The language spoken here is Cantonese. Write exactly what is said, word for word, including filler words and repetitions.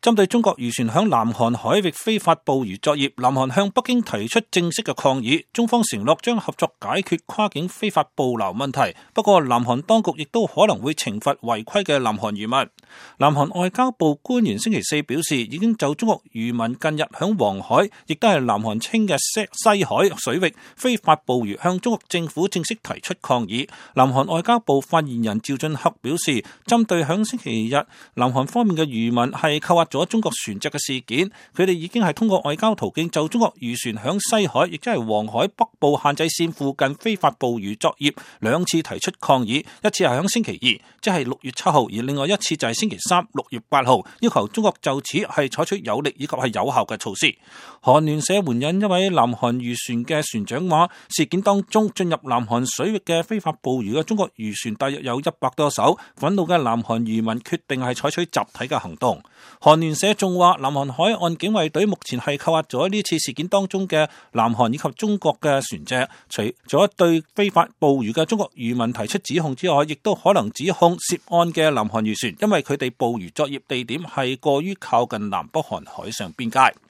針對中國漁船響南韓海域非法捕魚作業，南韓向北京提出正式嘅抗議。中方承諾將合作解決跨境非法捕撈問題，不過南韓當局亦都可能會懲罰違規嘅南韓漁民。南韓外交部官員星期四表示，已經就中國漁民近日響黃海，亦都係南韓稱嘅西西海水域非法捕魚，向中國政府正式提出抗議。南韓外交部發言人趙俊赫表示，針對響星期日南韓方面嘅漁民係扣押咗中國船隻嘅事件，佢哋已經係通過外交途徑就中國漁船響西海，亦即係黃海北部限制線附近非法捕魚作業兩次提出抗議，一次係響星期二，即係六月七號，而另外一次就係星期三，六月八號，要求中國就此係採取有力以及係有效嘅措施。韓聯社援引一位南韓漁船嘅船長話，事件當中進入南韓水域嘅非法捕魚嘅中國漁船大約有一百多艘，憤怒嘅南韓漁民決定係採取集體嘅行動。韓聯社仲話，南韓海岸警衛隊目前係扣押咗呢次事件當中嘅南韓以及中國嘅船隻，除咗對非法捕魚嘅中國漁民提出指控之外，亦都可能指控涉案嘅南韓漁船，因為佢哋捕魚作業地點係過於靠近南北韓海上邊界。